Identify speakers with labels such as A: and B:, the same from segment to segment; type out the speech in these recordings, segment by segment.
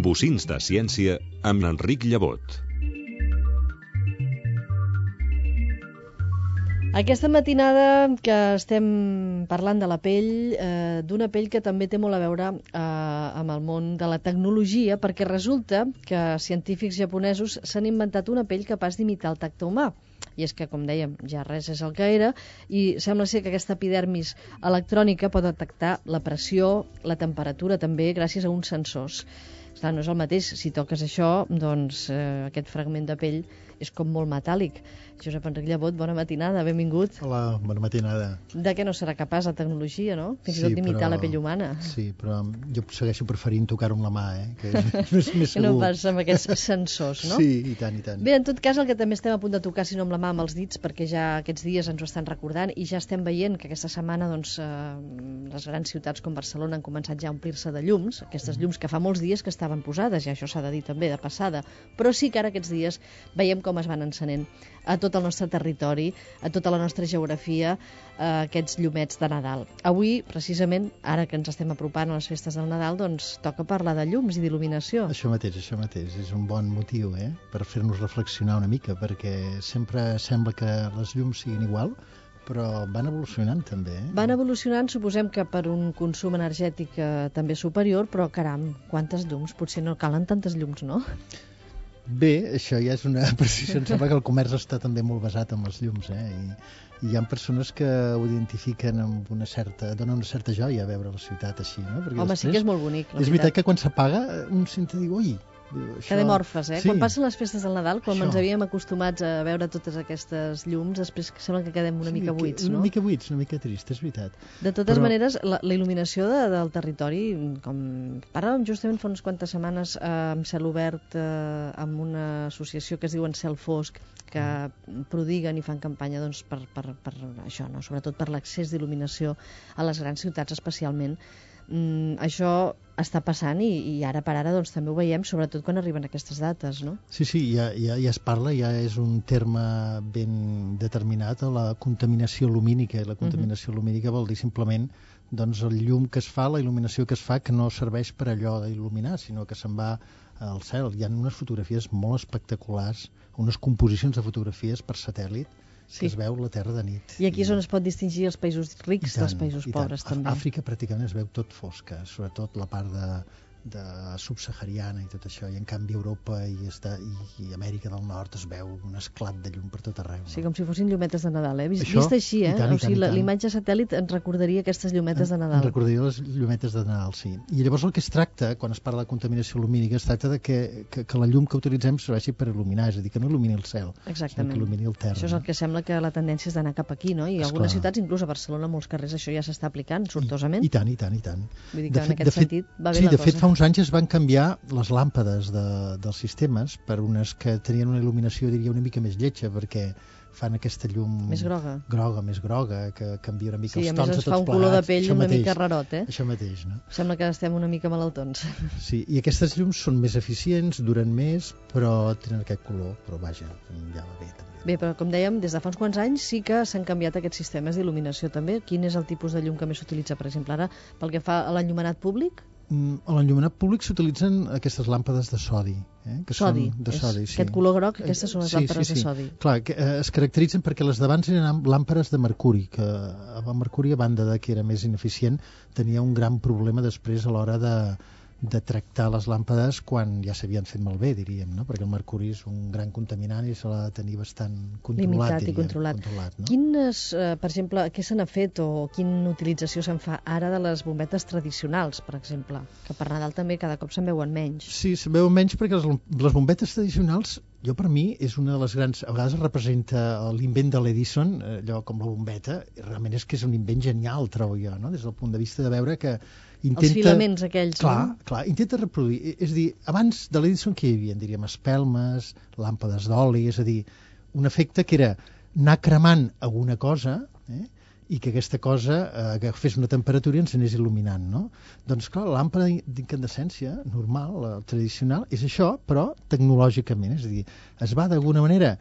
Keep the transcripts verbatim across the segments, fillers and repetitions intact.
A: Bocins de ciència amb Enric Llevot.
B: Aquesta matinada que estem parlant de la pell, eh, d'una pell que també té molt a veure eh, amb el món de la tecnologia, perquè resulta que científics japonesos s'han inventat una pell capaç d'imitar el tacte humà. I és que, com dèiem, ja res és el que era, i sembla ser que aquesta epidermis electrònica pot detectar la pressió, la temperatura també, gràcies a uns sensors. Clar, no és el mateix, si toques això, doncs eh, aquest fragment de pell és com molt metàl·lic. Josep Enric Llevot, bona matinada, benvingut.
C: Hola, bona matinada.
B: De què no serà capaç la tecnologia, no? Fins i
C: Sí,
B: tot d'imitar
C: però-
B: la pell humana.
C: Sí, però jo segueixo preferint tocar-ho amb la mà, eh? Que és més, més
B: Que no
C: segur.
B: pas amb aquests sensors, no?
C: Sí, i tant, i tant.
B: Bé, en tot cas, el que també estem a punt de tocar, si no amb la mà, amb els dits, perquè ja aquests dies ens ho estan recordant i ja estem veient que aquesta setmana doncs, eh, les grans ciutats com Barcelona han començat ja a omplir-se de llums, aquestes llums que fa molts dies que estaven posades, i això s'ha de dir també de passada, però sí que ara aquests dies veiem com es van encenent a tot el nostre territori, a tota la nostra geografia, eh, aquests llumets de Nadal. Avui, precisament, ara que ens estem apropant a les festes del Nadal, doncs toca parlar de llums i d'il·luminació.
C: Això mateix, això mateix. És un bon motiu, eh? Per fer-nos reflexionar una mica, perquè sempre sembla que les llums siguin igual, però van evolucionant també, eh?
B: Van evolucionant, suposem que per un consum energètic eh, també superior, però caram, quantes llums? Potser no calen tantes llums, no?
C: Bé, això ja és una precisió. Em sembla que el comerç està també molt basat en les llums, eh? I, i hi ha persones que ho identifiquen amb una certa... donen una certa joia a veure la ciutat així, no? Perquè
B: Home, sí que és molt bonic, la
C: és veritat que quan s'apaga un sent a dir, ui... Això...
B: Quedem orfes, eh?
C: Sí.
B: Quan passen les festes del Nadal, com
C: Això.
B: ens havíem acostumats a veure totes aquestes llums, després que sembla que quedem una
C: Sí,
B: mica
C: que-
B: buits,
C: Una
B: no?
C: mica buits, una mica trist, és veritat.
B: De totes
C: Però-
B: maneres, la, la il·luminació de, del territori, com parlàvem justament fa unes quantes setmanes eh, amb Cel Obert, eh, amb una associació que es diuen Cel Fosc, que prodiguen i fan campanya doncs, per, per, per això, no? Sobretot per l'accés d'il·luminació a les grans ciutats especialment. Mm, això està passant i, i ara per ara doncs, també ho veiem, sobretot quan arriben aquestes dates, no?
C: Sí, sí, ja, ja, ja es parla, ja és un terme ben determinat, la contaminació lumínica. I la contaminació uh-huh. lumínica vol dir simplement doncs, el llum que es fa, la il·luminació que es fa, que no serveix per allò d'il·luminar, sinó que se'n va al cel. Hi ha unes fotografies molt espectaculars, unes composicions de fotografies per satèl·lit,
B: Sí.
C: que es veu la Terra de nit.
B: I aquí és on es pot distingir els països rics dels països pobres,
C: A-
B: també.
C: Àfrica pràcticament es veu tot fosca, sobretot la part de, de subsahariana i tot això, i en canvi Europa i, està, i, i Amèrica del Nord es veu un esclat de llum per tot arreu. No?
B: Sí, com si fossin llumetes de Nadal, eh? Vist,
C: Això,
B: vist així, eh?
C: i tant, i
B: o sigui,
C: tant, i
B: la-
C: tant.
B: l'imatge satèl·lit ens recordaria aquestes llumetes de
C: Em
B: Nadal.
C: recordaria les llumetes de Nadal, sí. I llavors el que es tracta, quan es parla de contaminació lumínica, es tracta de que, que, que la llum que utilitzem serveixi per il·luminar, és a dir, que no il·lumini el cel,
B: Exactament.
C: sinó que il·lumini el terra.
B: Això és el que sembla que la tendència és d'anar cap aquí, no? I
C: Esclar.
B: algunes ciutats, inclús a Barcelona, molts carrers, això ja s'està aplicant sortosament.
C: I, I tant, i tant, i tant.
B: Vull dir que en aquest sentit va bé
C: sí,
B: la
C: de fet,
B: cosa.
C: fa uns anys es van canviar les làmpades de, dels sistemes per unes que tenien una il·luminació, diria, una mica més lletja, perquè fan aquesta llum...
B: Més groga.
C: Groga, més groga, que canvia una mica
B: Sí,
C: els
B: a
C: tons
B: més
C: de
B: es
C: tots
B: fa un color de
C: plegats.
B: pell
C: Això
B: una
C: mateix,
B: mica rarot, eh?
C: Això mateix, no?
B: Sembla que estem una mica malaltons.
C: Sí, i aquestes llums són més eficients, duren més, però tenen aquest color, però vaja, ja va bé també.
B: Bé, però com dèiem, des de fa uns quants anys sí que s'han canviat aquests sistemes d'il·luminació també. Quin és el tipus de llum que més s'utilitza, per exemple, ara, pel que fa a l'enllumenat públic?
C: Mm, a l'enllumenat públic s'utilitzen aquestes làmpades de sodi. Eh? Que
B: Sodi,
C: són de
B: és
C: sodi, sí.
B: aquest color groc, aquestes són les
C: Sí,
B: làmpades
C: sí,
B: de
C: sí.
B: sodi.
C: Clar, que, eh, es caracteritzen perquè les d'abans eren làmpades de mercuri, que el mercuri, a banda de que era més ineficient, tenia un gran problema després a l'hora de, de tractar les làmpades quan ja s'havien fet malbé, diríem, no? Perquè el mercuri és un gran contaminant i se l'ha de tenir bastant controlat,
B: Limitat i
C: diríem,
B: controlat.
C: controlat no?
B: Quines, eh, per exemple, què se n'ha fet o quina utilització se'n fa ara de les bombetes tradicionals, per exemple? Que per Nadal també cada cop se'n veuen menys.
C: Sí, se'n veuen menys perquè les, les bombetes tradicionals, jo per mi, és una de les grans... A vegades representa l'invent de l'Edison, allò com la bombeta, i realment és que és un invent genial, trobo jo, no? Des del punt de vista de veure que intenta...
B: Els filaments aquells,
C: clar,
B: no?
C: Clar, intenta reproduir. És a dir, abans de l'Edison què hi havia? Diríem espelmes, làmpades d'oli, és a dir, un efecte que era anar cremant alguna cosa, eh? i que aquesta cosa eh, que fes una temperatura i ens anés il·luminant, no? Doncs clar, la làmpada d'incandescència normal, la tradicional, és això, però tecnològicament, és a dir, es va d'alguna manera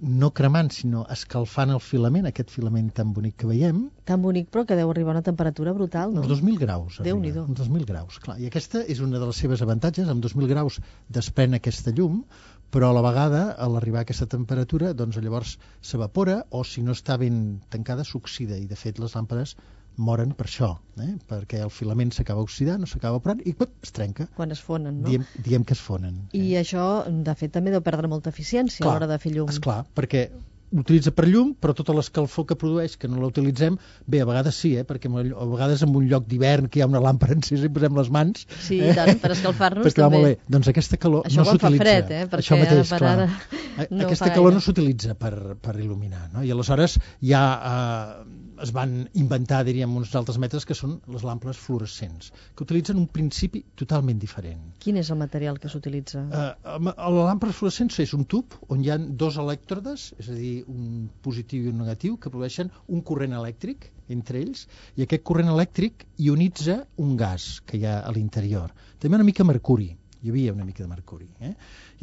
C: no cremant, sinó escalfant el filament, aquest filament tan bonic que veiem.
B: Tan bonic, però que deu arribar a una temperatura brutal, no?
C: Uns dos mil graus.
B: Déu-n'hi-do.
C: Uns dos mil graus, clar. I aquesta és una de les seves avantatges. Amb dos mil graus desprèn aquesta llum, però a la vegada, a l'arribar a aquesta temperatura, doncs llavors s'evapora, o si no està ben tancada, s'oxida. I, de fet, les làmpades moren per això, eh? Perquè el filament s'acaba oxidant, no s'acaba evaporant i pop, es trenca.
B: Quan es fonen, no?
C: Diem, diem que es fonen.
B: I
C: eh?
B: això, de fet, també deu perdre molta eficiència
C: clar,
B: a l'hora de fer llum.
C: Esclar, perquè l'utilitza per llum, però tota l'escalfor que produeix, que no la utilitzem, bé, a vegades sí, eh? Perquè a vegades en un lloc d'hivern que hi ha una làmpara encesa i posem les mans...
B: Sí, eh? tant, per escalfar-nos
C: perquè
B: també.
C: Va molt bé. Doncs aquesta calor
B: això
C: no s'utilitza.
B: Això quan fa fred, eh? Perquè
C: això mateix,
B: per
C: clar.
B: ara no
C: aquesta calor no s'utilitza per, per il·luminar, no? I aleshores ja eh, es van inventar, diríem, uns altres mètodes que són les làmpades fluorescents, que utilitzen un principi totalment diferent.
B: Quin és el material que s'utilitza?
C: Uh, la làmpada fluorescent és un tub on hi ha dos elèctrodes, és a dir, un positiu i un negatiu, que produeixen un corrent elèctric entre ells, i aquest corrent elèctric ionitza un gas que hi ha a l'interior. També una mica mercuri, hi havia una mica de mercuri. Eh?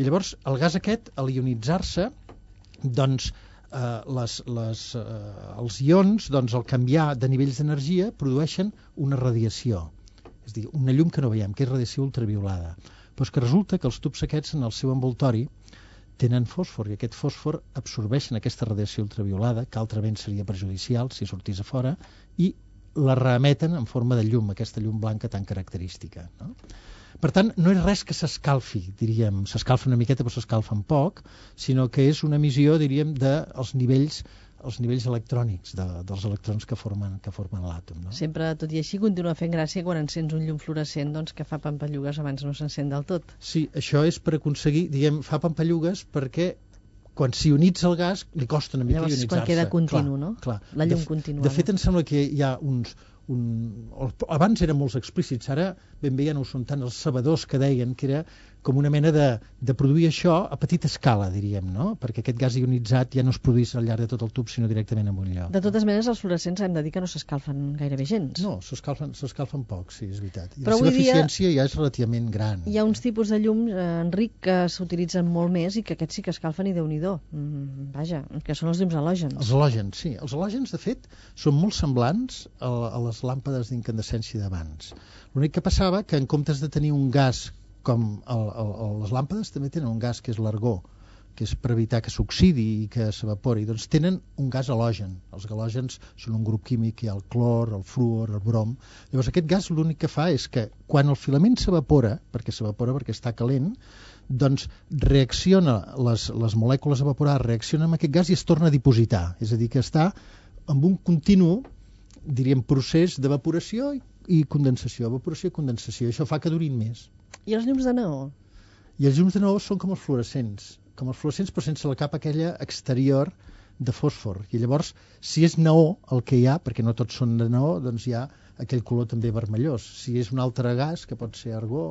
C: I llavors el gas aquest, al ionitzar-se, doncs Uh, les, les, uh, els ions, doncs, al canviar de nivells d'energia, produeixen una radiació, és a dir, una llum que no veiem, que és radiació ultraviolada. Però és que resulta que els tubs aquests, en el seu envoltori, tenen fòsfor, i aquest fòsfor absorbeixen aquesta radiació ultraviolada, que altrament seria perjudicial si sortís a fora, i la reemeten en forma de llum, aquesta llum blanca tan característica, no? Per tant, no és res que s'escalfi, diríem, s'escalfa una miqueta però s'escalfa en poc, sinó que és una emissió, diríem, dels nivells, els nivells electrònics, de, dels electrons que formen, que formen l'àtom. No?
B: Sempre, tot i així, continua fent gràcia quan encens un llum fluorescent, doncs, que fa pampallugues abans no s'encén del tot.
C: Sí, això és per aconseguir, diguem, fa pampallugues perquè quan s'ionitza el gas li costa una mica
B: llavors,
C: ionitzar-se.
B: Quan queda continu,
C: clar,
B: no?
C: Clar.
B: La llum
C: de,
B: continuada.
C: De fet, em sembla que hi ha uns... Un, abans eren molt explícits, ara ben bé ja no ho són tant els sabedors que deien que era com una mena de, de produir això a petita escala, diríem, no? Perquè aquest gas ionitzat ja no es produís al llarg de tot el tub, sinó directament en un lloc.
B: De totes maneres, els fluorescents hem de dir que no s'escalfen gairebé gens.
C: No, s'escalfen s'escalfen poc, sí, és veritat. I
B: però
C: la seva
B: dia
C: eficiència ja és relativament gran.
B: Hi ha uns tipus de llums, eh, Enric, que s'utilitzen molt més i que aquests sí que escalfen i Déu-n'hi-do. Mm, vaja, que són els llums halògens.
C: Els halògens, sí. Els halògens, de fet, són molt semblants a, a les làmpades d'incandescència d'abans. L'únic que passava que en comptes de tenir un gas com el, el, el, les làmpades també tenen un gas que és l'argó, que és per evitar que s'oxidi i que s'evapori, doncs tenen un gas halògen. Els halògens són un grup químic, hi ha el clor, el fluor, el brom. Llavors aquest gas l'únic que fa és que quan el filament s'evapora, perquè s'evapora perquè està calent, doncs reacciona, les, les molècules evaporades reaccionen amb aquest gas i es torna a dipositar, és a dir, que està amb un continu, diríem, procés d'evaporació i, i condensació, evaporació i condensació. Això fa que durin més.
B: I els llums de neó?
C: I els llums de neó són com els fluorescents, com els fluorescents però sense la capa aquella exterior de fòsfor. I llavors, si és neó el que hi ha, perquè no tots són de neó, doncs hi ha aquell color també vermellós. Si és un altre gas, que pot ser argó,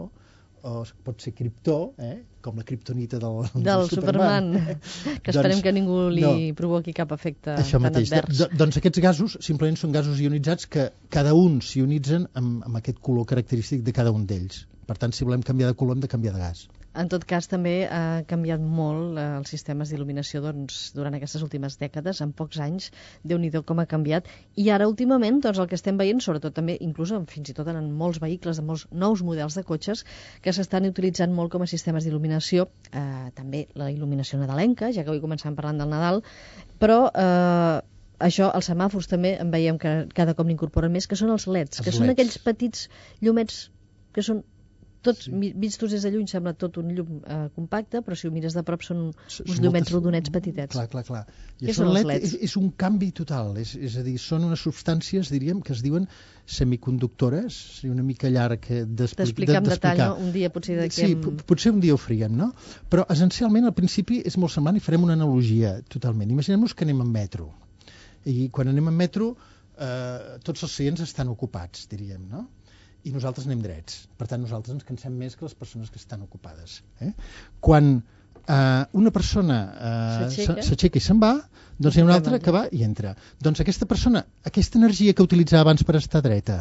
C: o pot ser criptó, eh? Com la criptonita del,
B: del,
C: del Superman,
B: Superman. Que esperem doncs, que ningú li no. provoqui cap efecte
C: Això
B: tan
C: mateix.
B: advers.
C: D doncs aquests gasos simplement són gasos ionitzats que cada un s'ionitzen amb, amb aquest color característic de cada un d'ells. Per tant, si volem canviar de color hem de canviar de gas.
B: En tot cas, també ha canviat molt eh, els sistemes d'il·luminació doncs, durant aquestes últimes dècades, en pocs anys, Déu-n'hi-do com ha canviat. I ara, últimament, doncs, el que estem veient, sobretot també, inclús fins i tot en molts vehicles, en molts nous models de cotxes, que s'estan utilitzant molt com a sistemes d'il·luminació, eh, també la il·luminació nadalenca, ja que avui començàvem parlant del Nadal, però... Eh, això, els semàfors també en veiem que cada cop n'incorporen més, que són els leds, que els són leds. Aquells petits llumets que són tots, sí. Vistos des de lluny sembla tot un llum eh, compacte, però si ho mires de prop són uns són llumets moltes... rodonets petitets.
C: Clar, clar, clar. I
B: què són els leds?
C: És, és un canvi total, és, és a dir, són unes substàncies, diríem, que es diuen semiconductores, una mica llarg
B: d'explicar en detall, no? Un dia potser d'aquí...
C: Sí, hem... potser un dia ho faríem, no? Però essencialment al principi és molt semblant i farem una analogia totalment. Imaginem-nos que anem en metro, i quan anem en metro eh, tots els seients estan ocupats, diríem, no? I nosaltres anem drets. Per tant, nosaltres ens cansem més que les persones que estan ocupades. Eh? Quan eh, una persona eh, s'aixeca i se'n va, doncs hi ha una altra que va i entra. Doncs aquesta persona, aquesta energia que utilitzava abans per estar dreta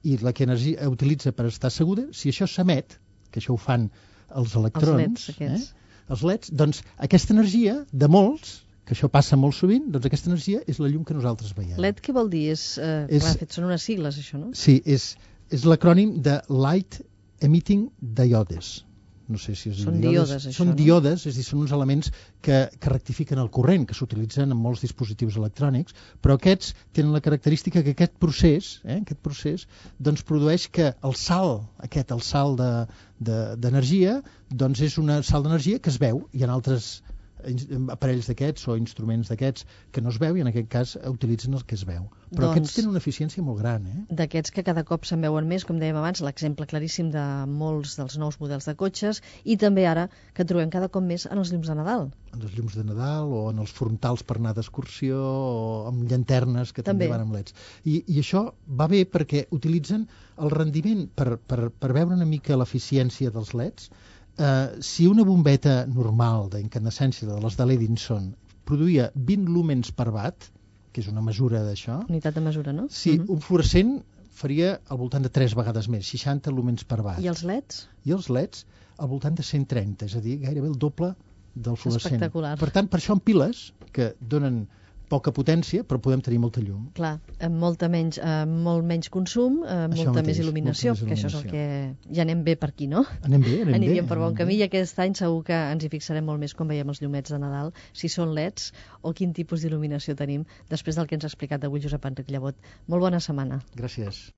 C: i la que energia utilitza per estar asseguda, si això s'emet, que això ho fan els electrons,
B: els leds,
C: eh? els leds, doncs aquesta energia de molts que això passa molt sovint, doncs aquesta energia és la llum que nosaltres veiem.
B: L E D què vol dir? És, eh,
C: És-
B: clar, fet, són unes sigles, això, no?
C: Sí, és, és l'acrònim de Light Emitting Diodes. No sé si és
B: Són díodes, això,
C: Són
B: no?
C: díodes, és a dir, són uns elements que, que rectifiquen el corrent, que s'utilitzen en molts dispositius electrònics, però aquests tenen la característica que aquest procés, eh, aquest procés, doncs produeix que el salt, aquest, el salt de- de- d'energia, doncs és una salt d'energia que es veu, i en altres in- aparells d'aquests o instruments d'aquests que no es veu, i en aquest cas utilitzen el que es veu. Però
B: Doncs-
C: aquests tenen una eficiència molt gran, eh?
B: D'aquests que cada cop se'n veuen més, com dèiem abans, l'exemple claríssim de molts dels nous models de cotxes, i també ara que trobem cada cop més en els llums de Nadal.
C: En els llums de Nadal o en els frontals per anar d'excursió o amb llanternes que també,
B: També.
C: van amb leds. I, I això va bé perquè utilitzen el rendiment per, per, per veure una mica l'eficiència dels leds. Eh, si una bombeta normal d'incandescència de les de l'Edison produïa vint lúmens per watt, que és una mesura d'això,
B: Unitat de mesura, no?
C: si
B: Mhm.
C: un fluorescent faria al voltant de tres vegades més, seixanta lúmens per watt.
B: I els L E Ds?
C: I els leds al voltant de cent trenta, és a dir, gairebé el doble del fluorescent.
B: Espectacular.
C: Per tant, per això en piles, que donen poca potència, però podem tenir molta llum.
B: Clar, amb molta menys, amb molt menys consum, amb
C: Això
B: molta
C: mateix,
B: més il·luminació,
C: molta més
B: que això és el
C: il·luminació.
B: que ja anem bé per aquí, no?
C: Anem bé, anem
B: Aniríem
C: bé.
B: per bon
C: anem
B: camí
C: bé.
B: i aquest any segur que ens hi fixarem molt més quan veiem els llumets de Nadal, si són L E Ds o quin tipus d'il·luminació tenim, després del que ens ha explicat avui Josep Enric Llebot. Molt bona setmana.
C: Gràcies.